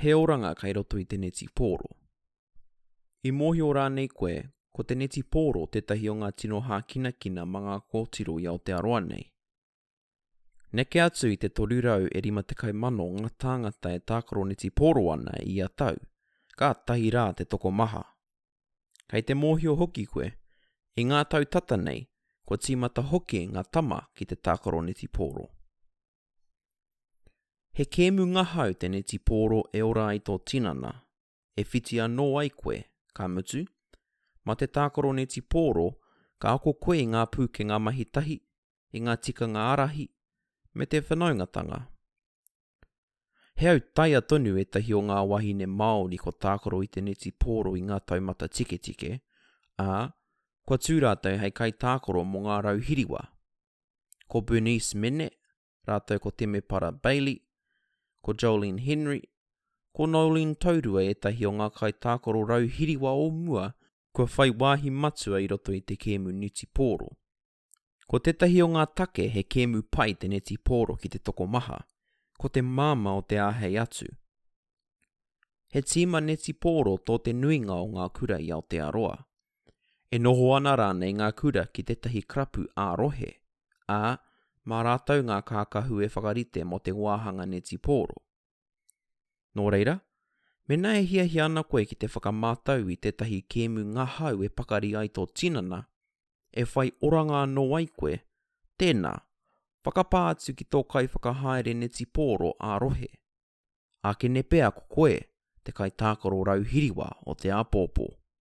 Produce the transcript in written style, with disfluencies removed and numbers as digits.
He oranga kei roto i te netipōro. I mōhio rānei koe, ko te netipōro tētahi o ngā tino hākinakina mā ngā kōtiro i Aotearoa nei? Neke atu i te 350,000 ngā tāngata e tākaro netipōro ana i ia tau, kātahi rā te tokomaha. Kei te mōhio hoki koe, i ngā tau tata nei, kua tīmata hoki ngā tama ki te tākaro netipōro. He kēmu ngahau te netipōro e ora ai tō tinana, e whiti anō ai koe, ka mutu, mā te tākaro netipōro ka ako koe i ngā pūkenga mahi tahi, i ngā tikanga ārahi, me te whanaungatanga. He autaia tonu ētahi o ngā wāhine Māori kua tākaro i te netipōro i ngā taumata tiketike, ā, kua tū rātou hei kaitākaro mō ngā rau hiriwa. Ko Bernice Mene, rātou ko Temepara Bailey, ko Joline Henry, ko Noeline Taurua ētahi o ngā kaitākaro rau hiriwa o mua kua whai wāhi matua i roto i te kēmu netipōro. Ko tētahi o ngā take he kēmu pai te netipōro ki te tokomaha, ko te māmā o te āhei atu. He tīma netipōro tō te nuinga o ngā kura i Aotearoa. E noho ana rānei ngā kura ki tētahi karapu ā-rohe, ā, mā rātou ngā kākahu e whakarite mō te wāhanga netipōro. Nō reira, mēnā e hiahia ana koe ki te whakamātau i tētahi kēmu ngahau e pakari ai tō tinana, e whai oranga anō ai koe, tēnā, whakapā atu ki tō kaiwhakahaere netipōro ā-rohe. Ākene pea ko koe te kaitākaro rau hiriwa o te āpōpō.